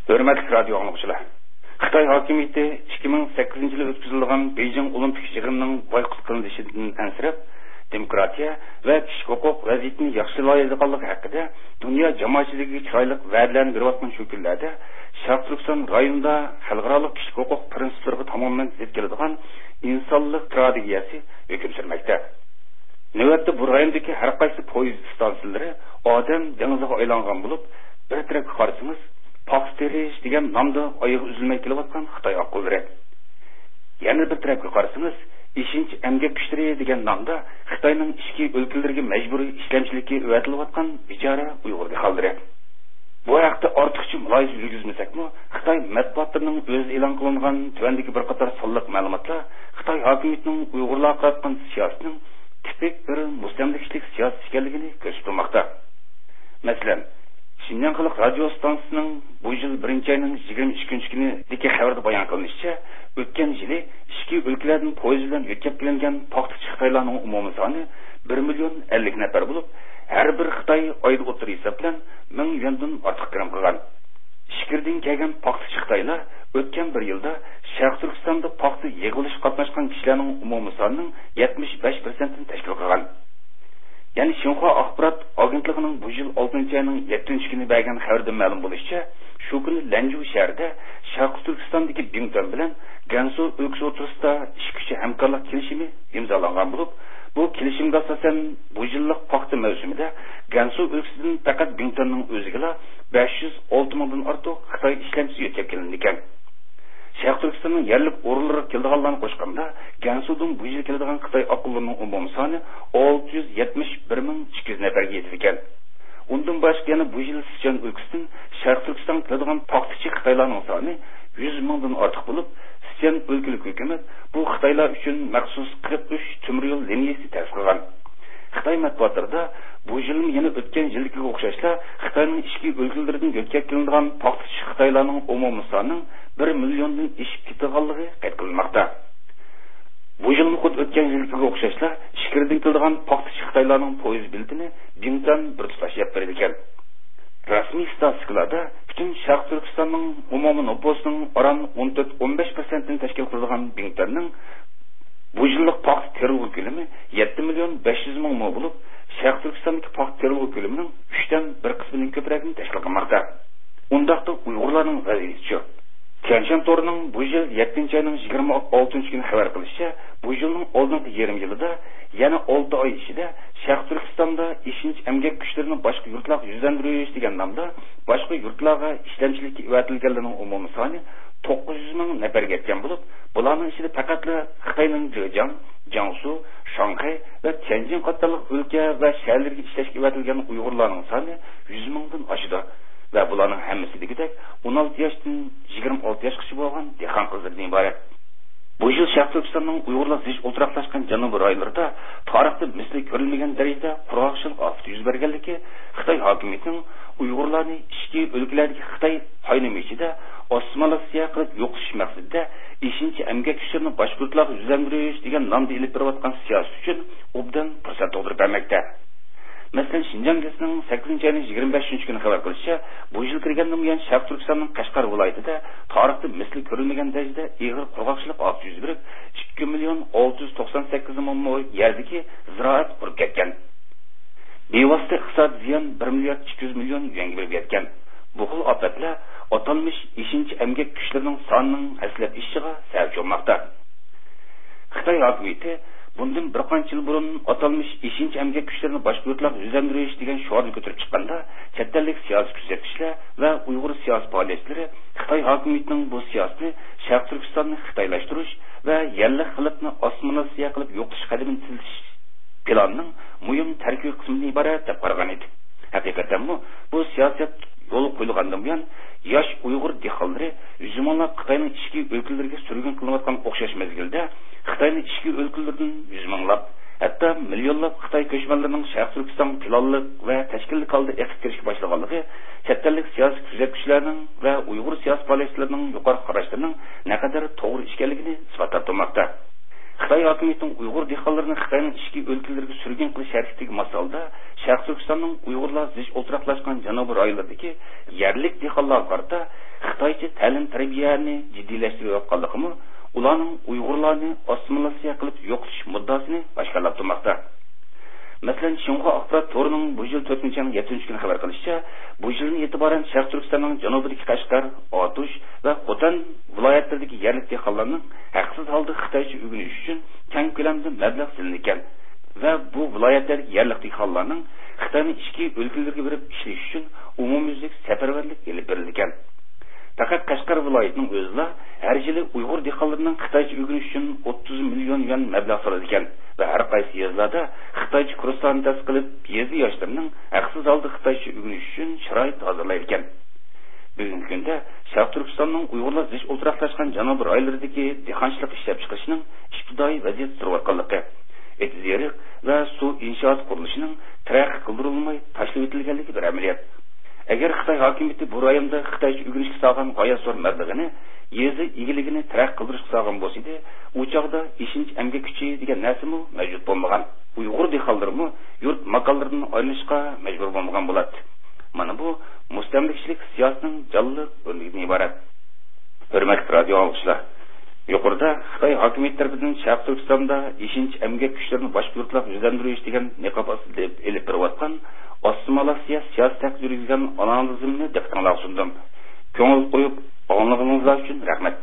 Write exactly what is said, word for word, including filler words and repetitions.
ھۆرمەتلىك رادىيو ئاڭلىغۇچىلار! خىتاي ھاكىمىيىتى ئىككى مىڭ سەككىزىنچى يىلى ئۆتكۈزۈلىدىغان بېيجىڭ ئولىمپىك يىغىنىنىڭ بايقۇت قىلىنىشىدىن ئەنسىرەپ، دېموكراتىيە ۋە كىشىلىك ھوقۇق ۋەزىيىتىنى ياخشىلايدىغانلىقى ھەققىدە دۇنيا جامائەتچىلىكىگە چىرايلىق ۋەدىلەرنى بېرىۋاتقان شۇ كۈنلەردە، شەرقىي تۈركىستان رايونىدا خەلقئارالىق كىشىلىك ھوقۇق پىرىنسىپلىرىغا تامامەن زىت كېلىدىغان ئىنسانلىق تىراگېدىيەسى ھۆكۈم سۈرمەكتە. نۆۋەتتە بۇ رايوندىكى ھەر قايسى پويىز ئىستانسىلىرى ئادەم دېڭىزىغا ئايلانغان بولۇپ، بىر تەرەپكە قارىسىڭىز، پاختا تېرىش دېگەن نامدا ئايىغى ئۈزۈلمەي كېلىۋاتقان خىتاي ئاققۇنلىرى، يەنە بىر تەرەپكە قارىسىڭىز، ئېشىنچا ئەمگەك كۈچلىرى دېگەن نامدا خىتاينىڭ ئىچكى ئۆلكىلىرىگە مەجبۇرىي ئىشلەمچىلىككە ئەۋەتىلىۋاتقان بىچارە ئۇيغۇر دېھقانلىرى. بۇ ھەقتە ئارتۇقچە مۇلاھىزە يۈرگۈزمىسەكمۇ، خىتاي مەتبۇئاتلىرىنىڭ ئۆزىدە ئېلان قىلىنغان تۆۋەندىكى بىر قاتار سانلىق مەلۇماتلار خىتاي ھاكىمىيىتىنىڭ ئۇيغۇرلارغا قاراتقان سىياسىتىنىڭ تىپىك بىر مۇستەملىكىچىلىك سىياسىتى ئىكەنلىكىنى كۆرسىتىپ تۇرماقتا. مەسىلەن، شىنجاڭ خەلق رادىيو ئىستانسىسىنىڭ بۇ يىل بىرىنچى ئاينىڭ يىگىرمە ئۈچىنچى كۈنىدىكى خەۋىرىدە بايان قىلىنىشىچە، ئۆتكەن يىلى ئىچكى ئۆلكىلەردىن پويىز بىلەن يۆتكەپ كېلىنگەن پاختىچى خىتايلارنىڭ ئومۇمىي سانى بىر مىليون ئەللىك نەپەر بولۇپ، ھەر بىر خىتاي ئايدا ئوتتۇرا ھېساب بىلەن مىڭ يۈەندىن ئارتۇق كىرىم قىلغان. ئىچكىرىدىن كەلگەن پاختىچى خىتايلار ئۆتكەن بىر يىلدا شەرقىي تۈركىستاندا پاختا يىغىۋېلىشقا قاتناشقان كىشىلەرنىڭ ئومۇمىي سانىنىڭ يەتمىش بەش پىرسەنتىنى تەشكىل قىلغان. يەنى شىنخۇا ئاخبارات ئاگېنتلىقىنىڭ بۇ يىل ئالتىنچى ئاينىڭ يەتتىنچى كۈنى بەرگەن خەۋىرىدىن مەلۇم بولۇشىچە، شۇ كۈنى لەنجۇ شەھىرىدە شەرقىي تۈركىستاندىكى بىڭتۈەن بىلەن گەنسۇ ئۆلكىسى ئوتتۇرىسىدا ئىككى كۈچ ھەمكارلىق كېلىشىمى ئىمزالانغان بولۇپ، بۇ كېلىشىمگە ئاساسەن، بۇ يىللىق پاختا مەۋسۇمىدە گەنسۇ ئۆلكىسىدىن پەقەت بىڭتۈەننىڭ ئۆزىگىلا بەش يۈز ئالتە مىڭدىن ئارتۇق خىتاي ئىشلەمچىسى يۆتكەپ كېلىنىدىكەن. شەرقىي تۈركىستاننىڭ يەرلىك ئورۇنلىرىغا كېلىدىغانلارنى قوشقاندا، گەنسۇدىن بۇ يىل كېلىدىغان خىتاي ئاققۇنلىرىنىڭ ئومۇمىي سانى ئالتە يۈز يەتمىش بىر مىڭ ئىككى يۈز نەپەرگە يېتىدىكەن. ئۇندىن باشقا يەنە بۇ يىل سىچۈەن ئۆلكىسىدىن شەرقىي تۈركىستانغا كېلىدىغان پاختىچى خىتايلارنىڭ سانى يۈز مىڭدىن ئارتۇق بولۇپ، سىچۈەن ئۆلكىلىك ھۆكۈمەت بۇ خىتايلار ئۈچۈن مەخسۇس قىرىق ئۈچ تۆمۈر يول لىنىيەسى تەسىس قىلغان. خىتاي مەتبۇئاتلىرىدا بۇ يىلمۇ يەنە ئۆتكەن يىلدىكىگە ئوخشاشلا خىتاينىڭ ئىچكى ئۆلكىلىرىدىن يۆتكەپ كېلىنىدىغان پاختىچى خىتايلارنىڭ ئومۇمىي سانىنىڭ بىر مىليوندىن ئېشىپ كېتىدىغانلىقى قەيت قىلىنماقتا. بۇ يىلمۇ خۇددى ئۆتكەن يىلدىكىگە ئوخشاشلا ئىچكىرىدىن كېلىدىغان پاختىچى خىتايلارنىڭ پويىز بېلىتىنى بىڭتۈەن بىر تۇتاش يەپ بېرىدىكەن. رەسمىي ستاتىستىكىلاردا پۈتۈن شەرقىي تۈركىستاننىڭ ئومۇمىي نوپۇسىنىڭ ئاران ئون تۆت، ئون بەش پىرسەنتىنى تەشكىل قىلىدىغان بىڭتۈەننىڭ بۇ يىللىق پاختا تېرىلغۇ كۆلىمى يەتتە مىليون بەش يۈز مىڭ مو بولۇپ، شەرقىي تۈركىستاندىكى پاختا تېرىلغۇ كۆلىمىنىڭ ئۈچتىن بىر قىسمىدىن كۆپرەكنى تەشكىل قىلماقتا. ئۇنداقتا ئۇيغۇرلارنىڭ ۋەزىيىتىچۇ؟ تيەنشەن تورىنىڭ بۇ يىل يەتتىنچى ئاينىڭ يىگىرمە ئالتىنچى كۈنى خەۋەر قىلىشىچە، بۇ يىلنىڭ ئالدىنقى يېرىم يىلىدا يەنە ئالتە ئاي ئىچىدە شەرقىي تۈركىستاندا ئېشىنچا ئەمگەك كۈچلىرىنى باشقا يۇرتلارغا يۈزلەندۈرۈش دېگەن نامدا باشقا يۇرتلارغا ئىشلەمچىلىككە ئەۋەتىلگەنلەرنىڭ ئومۇمىي سانى توققۇز يۈز مىڭ نەپەرگە يەتكەن بولۇپ، بۇلارنىڭ ئىچىدە پەقەتلا خىتاينىڭ جېجياڭ، جياڭسۇ، شاڭخەي ۋە تيەنجىن قاتارلىق ئۆلكە ۋە شەھەرلەرگە ئىشلەشكە ئەۋەتىلگەن ئۇيغۇرلارنىڭ سانى يۈز مىڭدىن ئاشىدۇ ۋە بۇلارنىڭ ھەممىسى دېگۈدەك ئون ئالتە ياشتىن يىگىرمە ئالتە ياشقىچە بولغان دېھقان قىزلىرىدىن ئىبارەت. بۇ يىل شەرقىي تۈركىستاننىڭ ئۇيغۇرلار زىچ ئولتۇراقلاشقان جەنۇبىي رايونلىرىدا تارىختا مىسلى كۆرۈلمىگەن دەرىجىدە قۇرغاقچىلىق ئاپىتى يۈز بەرگەنلىكى، خىتاي ھاكىمىيىتىنىڭ ئۇيغۇرلارنى ئىچكى ئۆلكىلەردىكى خىتاي قاينىمى ئىچىدە ئاسسىمىلياتسىيە قىلىپ يوقىتىش مەقسىتىدە ئېشىنچا ئەمگەك كۈچلىرىنى باشقا يۇرتلارغا يۈزلەندۈرۈش دېگەن نامدا ئېلىپ بېرىۋاتقان سىياسىتى ئۈچۈن ئوبدان پۇرسەت تۇغدۇرۇپ بەرمەكتە. مەسىلەن، شىنجاڭ گېزىتىنىڭ سەككىزىنچى ئاينىڭ يىگىرمە بەشىنچى كۈنى خەۋەر قىلىشىچە، بۇ يىل كىرگەندىن بۇيان شەرقىي تۈركىستاننىڭ قەشقەر ۋىلايىتىدە تارىختا مىسلى كۆرۈلمىگەن دەرىجىدە ئېغىر قۇرغاقچىلىق ئاپىتى يۈز بېرىپ، ئىككى مىليون ئالتە يۈز توقسان سەككىز مىڭ مو يەردىكى زىرائەت قۇرۇپ كەتكەن. بىۋاسىتە ئىقتىسادىي زىيان بىر مىليارد ئىككى يۈز مىليون يۈەنگە بېرىپ يەتكەن. بۇ خىل ئاپەتلەر ئاتالمىش ئېشىنچا ئەمگەك كۈچلىرىنىڭ سانىنىڭ ھەسسىلەپ ئېشىشىغا سەۋەبچى بولماقتا. خىتاي ھاكىمىيىتى بۇندىن بىر قانچە يىل بۇرۇن ئاتالمىش ئېشىنچا ئەمگەك كۈچلىرىنى باشقا يۇرتلارغا يۈزلەندۈرۈش دېگەن شوئارنى كۆتۈرۈپ چىققاندا، چەت ئەللىك سىياسىي كۆزەتكۈچىلەر ۋە ئۇيغۇر سىياسىي پائالىيەتچىلىرى خىتاي ھاكىمىيىتىنىڭ بۇ سىياسىتىنى شەرقىي تۈركىستاننى خىتايلاشتۇرۇش ۋە يەرلىك خەلقنى ئاسسىمىلياتسىيە قىلىپ يوقىتىش قەدىمىنى تېزلىتىش پىلانىنىڭ مۇھىم تەركىبىي قىسمىدىن ئىبارەت دەپ قارىغان ئىدى. ھەقىقەتەنمۇ بۇ سىياسەت يولغا قويۇلغاندىن بۇيان، ياش ئۇيغۇر دېھقانلىرى يۈز مىڭلاپ خىتاينىڭ ئىچكى ئۆلكىلىرىگە سۈرگۈن قىلىنىۋاتقان ئوخشاش مەزگىلدە، خىتاينىڭ ئىچكى ئۆلكىلىرىدىن يۈز مىڭلاپ، ھەتتا مىليونلاپ خىتاي كۆچمەنلىرىنىڭ شەرقىي تۈركىستانغا پىلانلىق ۋە تەشكىللىك ھالدا ئېقىپ كىرىشكە باشلىغانلىقى چەت ئەللىك سىياسىي كۆزەتكۈچىلەرنىڭ ۋە ئۇيغۇر سىياسىي پائالىيەتچىلىرىنىڭ يۇقىرىقى قاراشلىرىنىڭ نەقەدەر توغرا ئىكەنلىكىنى ئىسپاتلاپ تۇرماقتا. خىتاي ھاكىمىيىتىنىڭ ئۇيغۇر دېھقانلىرىنى خىتاينىڭ ئىچكى ئۆلكىلىرىگە سۈرگۈن قىلىش ھەرىكىتىگە ماس ھالدا، شەرقىي تۈركىستاننىڭ ئۇيغۇرلار زىچ ئولتۇراقلاشقان جەنۇبىي رايونلىرىدىكى يەرلىك دېھقانلارغا قارىتا خىتايچە تەلىم-تەربىيەنى جىددىيلەشتۈرۈۋاتقانلىقىمۇ ئۇلارنىڭ ئۇيغۇرلارنى ئاسسىمىلياتسىيە قىلىپ يوقىتىش مۇددىئاسىنى ئاشكارىلاپ تۇرماقتا. مەسىلەن، شىنخۇا ئاخبارات تورىنىڭ بۇ يىل تۆتىنچى ئاينىڭ يەتتىنچى كۈنى خەۋەر قىلىشىچە، بۇ يىلدىن ئېتىبارەن شەرقىي تۈركىستاننىڭ جەنۇبىدىكى قەشقەر، ئاتۇش ۋە خوتەن ۋىلايەتلىرىدىكى يەرلىك دېھقانلارنىڭ ھەقسىز ھالدا خىتايچە ئۆگىنىش ئۈچۈن كەڭ كۆلەمدە مەبلەغ سېلىنىدىكەن ۋە بۇ ۋىلايەتلەردىكى يەرلىك دېھقانلارنىڭ خىتاينىڭ ئىچكى ئۆلكىلىرىگە بېرىپ ئىشلىشى ئۈچۈن ئومۇميۈزلۈك سەپەرۋەرلىك ئېلىپ بېرىلىدىكەن. پەقەت قەشقەر ۋىلايىتىنىڭ ئۆزىلا ھەر يىلى ئۇيغۇر دېھقانلىرىنىڭ خىتايچە ئۆگىنىش ئۈچۈن ئوتتۇز مىليون يۈەن مەبلەغ سالىدىكەن ۋە ھەر قايسى يېزىلاردا خىتايچە كۇرسلارنى تەسىس قىلىپ، يېزا ياشلىرىنىڭ ھەقسىز ھالدا خىتايچە ئۆگىنىش ئۈچۈن شارائىت ھازىرلايدىكەن. بۈگۈنكى كۈندە شەرقىي تۈركىستاننىڭ ئۇيغۇرلار زىچ ئولتۇراقلاشقان جەنۇبىي رايونلىرىدىكى دېھقانچىلىق ئىشلەپچىقىرىشىنىڭ ئىپتىدائىي ۋەزىيەتتە تۇرۇۋاتقانلىقى، ئېتىز-ئېرىق ۋە سۇ ئىنشائات قۇرۇلۇشىنىڭ تەرەققىي قىلدۇرۇلماي تاشلىۋېتىلگەنلىكى بىر ئەمەلىيەت. ئەگەر خىتاي ھاكىمىيىتى بۇ رايوندا خىتايچە ئۆگىنىشكە سالغان غايەت زور مەبلىغىنى يېزا ئىگىلىكىنى تەرەققىي قىلدۇرۇشقا سالغان بولسىدى، ئۇ چاغدا ئېشىنچ ئەمگەك كۈچى دېگەن نەرسىمۇ مەۋجۇت بولمىغان. ئۇيغۇر دېھقانلىرىمۇ يۇرت ماكانلىرىدىن ئايرىلىشقا مەجبۇر بولمىغان بولاتتى. مانا بۇ مۇستەملىكىچىلىك سىياسىتىنىڭ جانلىق ئۆرنىكىدىن ئىبارەت. ھۆرمەتلىك رادىيو ئاڭلىغۇچىلار! يۇقىرىدا خىتاي ھاكىمىيىتى تەرىپىدىن شەرقىي تۈركىستاندا ئېشىنچ ئەمگەك كۈچلىرىنى باشقا يۇرتلارغا يۈزلەندۈرۈش دېگەن نىقاب ئاستىدا ئېلىپ بېرىۋاتقان ئاسسىمىلياتسىيە سىياسىتى ھەققىدە يۈرگۈزگەن ئانالىزىمنى دىققىتىڭلارغا سۇندۇم. كۆڭۈل قويۇپ ئاڭلىغىنىڭلار ئۈچۈن رەھمەت.